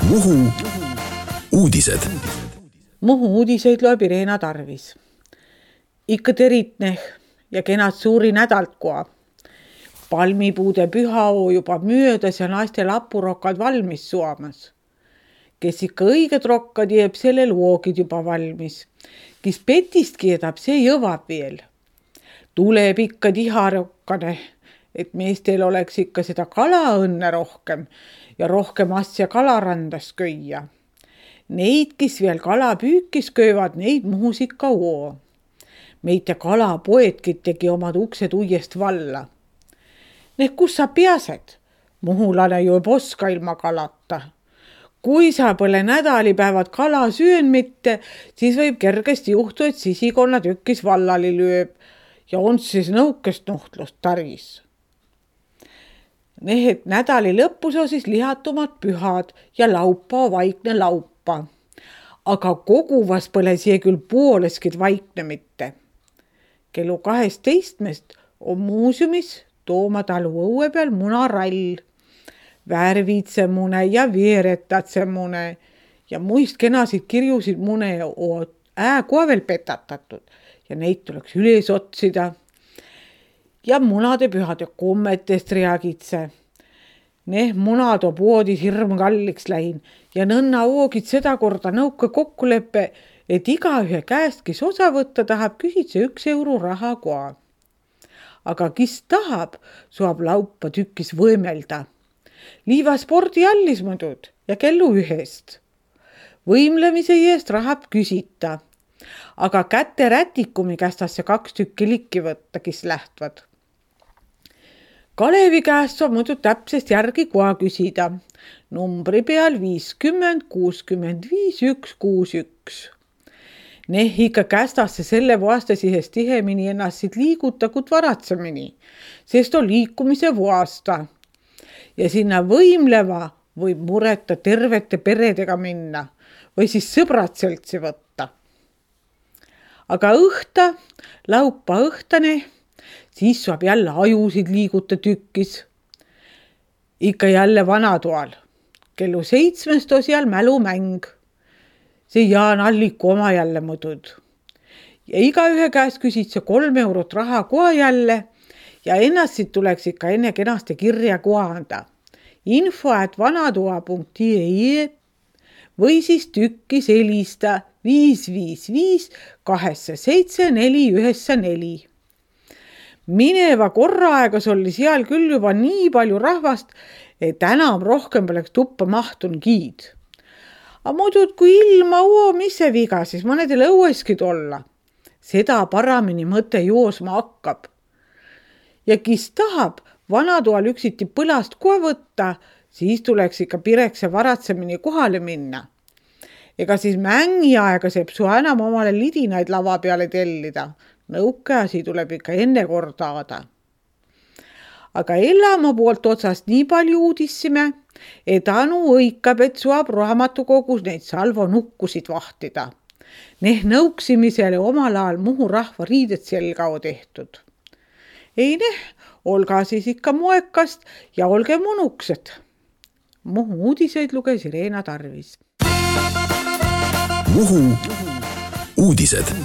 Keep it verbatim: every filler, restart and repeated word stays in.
Muhu uudised. Muhu uudiseid loeb Irena Tarvis. Ikka teritneh ja kenad suuri nädalt koa. Palmipuude pühaoo juba möödas ja naiste lapurokkad valmis suomas. Kes ikka õiged rokkad jääb selle loogid juba valmis. Kes petist kiedab, see jõvab veel. Tuleb ikka tiharokkane, et meestel oleks ikka seda kalaõnne rohkem ja rohkem asja kalarandas köia. Neid, kes veel kalapüükis köövad, neid Muhus ikka oo. Meite kalapoedki tegi omad uksed uuest valla. Need, kus sa peased? Muhulane ju ei oska ilma kalata. Kui sa põle nädalipäevad kala süön mitte, siis võib kergesti juhtu, et sisikonna tükkis vallali lööb ja on siis nõukest nuhtlust taris. Need nädali lõpus on siis lihatumad pühad ja laupa vaikne laupa. Aga koguvas põle siia küll pooleskid vaikne mitte. Kellu kaheteistmest on muuseumis Tooma talu õue peal munarall, värvitse mune ja veeretatse mune ja muist kenasid kirjusid mune on ääkoa veel petatatud ja neid tuleks üles otsida. Ja munade pühade kommetest reagitse. Need munad on poodis hirm kalliks lähin ja nõnna oogid seda korda nõuka kokkuleppe, et igaühe käest, kes osa võtta tahab, küsitse üks euro raha koa. Aga kes tahab, saab laupa tükkis võimelda. Liiva spordiallis mõdud ja kellu ühest. Võimlemise eest rahab küsita, aga kätte rätikumi kästasse kaks tükki likki võtta, kes lähtvad. Kalevi käest saab muidu täpsest järgi koa küsida. Numbri peal viiskümmend kuuskümmend viis üks kuus üks. Neh ikka kästasse selle vaastasihest tihemini ennast siit liigutakut varatsemini, sest on liikumise vaasta. Ja sinna võimleva võib mureta tervete peredega minna või siis sõbrad seltsi võtta. Aga õhta, laupa õhtane, siis saab jälle ajusid liiguta tükkis. Ikka jälle vanatoal. Kellu seitsmest on seal mälumäng. See Jaan Alliku oma jälle mõdud. Ja igaühe käest küsid see kolm eurot raha koa jälle ja ennast siit tuleks ikka enne kenaste kirja koa anda. Info at vanatoa punkt ee või siis tükkis helista viis viis viis kaheksa seitse neli üheksa neli. Mineva korra aegas oli seal küll juba nii palju rahvast, et enam rohkem poleks tuppa mahtun giid. Aga muidu, kui ilma oo, mis see viga, siis mõnedel õueskid olla. Seda paramini mõte joosma hakkab. Ja kes tahab vanatoal üksiti põlast kohe võtta, siis tuleks ikka pirekse varatsemini kohale minna. Ega siis mängi aega seeb su enam omale lidinaid lava peale tellida. Nõukeasi tuleb ikka enne kordaada. Aga Ellama poolt otsast nii palju uudissime, et Anu õikab, et suab raamatukogus neid salvo nukkusid vahtida. Neh nõuksimisele omal ajal Muhu rahva riidet selga on tehtud. Ei neh, olga siis ikka moekast ja olge munuksed. Muhu uudiseid luges Irena Tarvis. Muhu uudised.